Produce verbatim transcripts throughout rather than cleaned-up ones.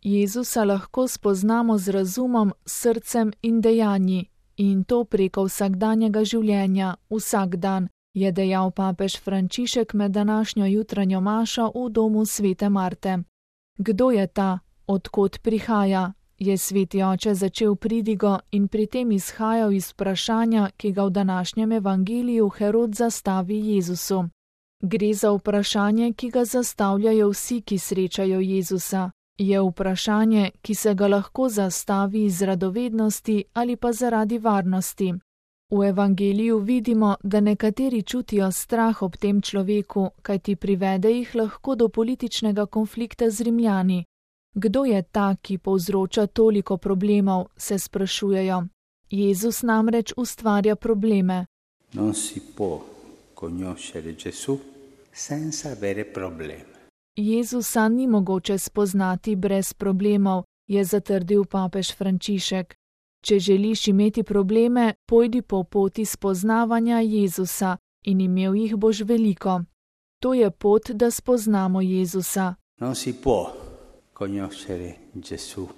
Jezusa lahko spoznamo z razumom, srcem in dejanji, in to preko vsakdanjega življenja, vsak dan, je dejal papež Frančišek med današnjo jutranjo mašo v domu svete Marte. Kdo je ta, od kod prihaja, je sveti oče začel pridigo in pri tem izhajal iz vprašanja, ki ga v današnjem evangeliju Herod zastavi Jezusu. Gre za vprašanje, ki ga zastavljajo vsi, ki srečajo Jezusa. Je vprašanje, ki se ga lahko zastavi iz radovednosti ali pa zaradi varnosti. V evangeliju vidimo, da nekateri čutijo strah ob tem človeku, kajti privede jih lahko do političnega konflikta z Rimljani. Kdo je ta, ki povzroča toliko problemov, se sprašujejo. Jezus namreč ustvarja probleme. Non si può conoscere Gesù senza avere problemi. Jezusa ni mogoče spoznati brez problemov, je zatrdil papež Frančišek. Če želiš imeti probleme, pojdi po poti spoznavanja Jezusa in imel jih boš veliko. To je pot, da spoznamo Jezusa. Non si può conoscere Gesù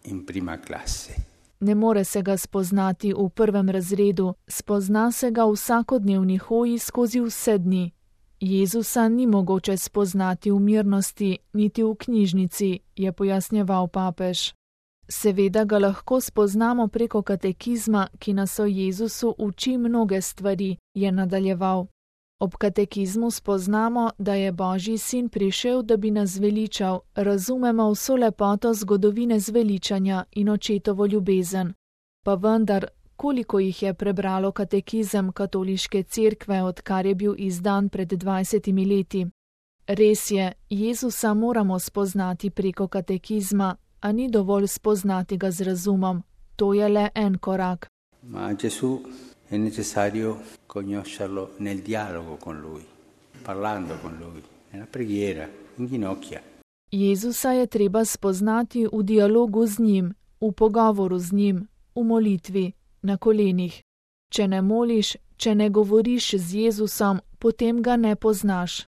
in prima classe. Ne more se ga spoznati v prvem razredu, spozna se ga v vsakodnevni hoji skozi vse dni. Jezusa ni mogoče spoznati v mirnosti, niti v knjižnici, je pojasnjeval papež. Seveda ga lahko spoznamo preko katekizma, ki nas o Jezusu uči mnoge stvari, je nadaljeval. Ob katekizmu spoznamo, da je Božji sin prišel, da bi nas zveličal, razumemo vso lepoto zgodovine zveličanja in očetovo ljubezen. Pa vendar, koliko jih je prebralo katekizem katoliške cerkve, odkar je bil izdan pred dvajsetimi leti? Res je, Jezusa moramo spoznati preko katekizma, a ni dovolj spoznati ga z razumom. To je le en korak. Ma Gesù è necessario conoscerlo nel dialogo con lui, parlando con lui, nella preghiera, in ginocchia. Jezusa je treba spoznati v dialogu z njim, v pogovoru z njim, v molitvi, na kolenih. Če ne moliš, če ne govoriš z Jezusom, potem ga ne poznaš.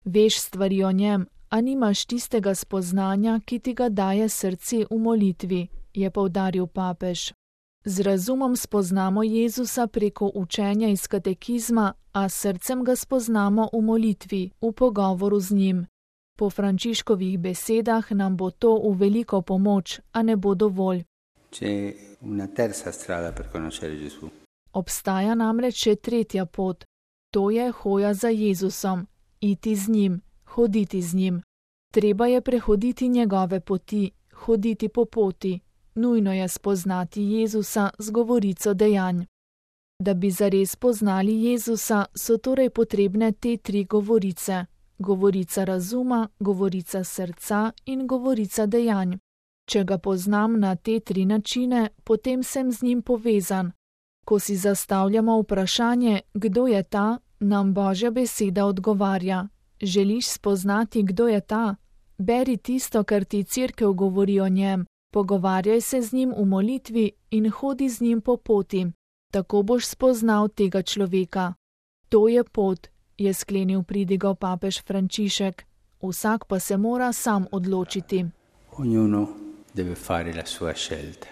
Veš stvari o njem, a nimaš tistega spoznanja, ki ti ga daje srce v molitvi, je poudaril papež. Z razumom spoznamo Jezusa preko učenja iz katekizma, a srcem ga spoznamo v molitvi, v pogovoru z njim. Po Frančiškovih besedah nam bo to v veliko pomoč, a ne bo dovolj. C'è una terza strada per conoscere Gesù. Obstaja namreč še tretja pot. To je hoja za Jezusom, iti z njim, hoditi z njim. Treba je prehoditi njegove poti, hoditi po poti. Nujno je spoznati Jezusa z govorico dejanj. Da bi zares poznali Jezusa, so torej potrebne te tri govorice. Govorica razuma, govorica srca in govorica dejanj. Če ga poznam na te tri načine, potem sem z njim povezan. Ko si zastavljamo vprašanje, kdo je ta, nam Božja beseda odgovarja. Želiš spoznati, kdo je ta? Beri tisto, kar ti cerkev govori o njem. Pogovarjaj se z njim v molitvi in hodi z njim po poti. Tako boš spoznal tega človeka. To je pot, je sklenil pridigo papež Frančišek. Vsak pa se mora sam odločiti. Ognuno deve fare la sua scelta.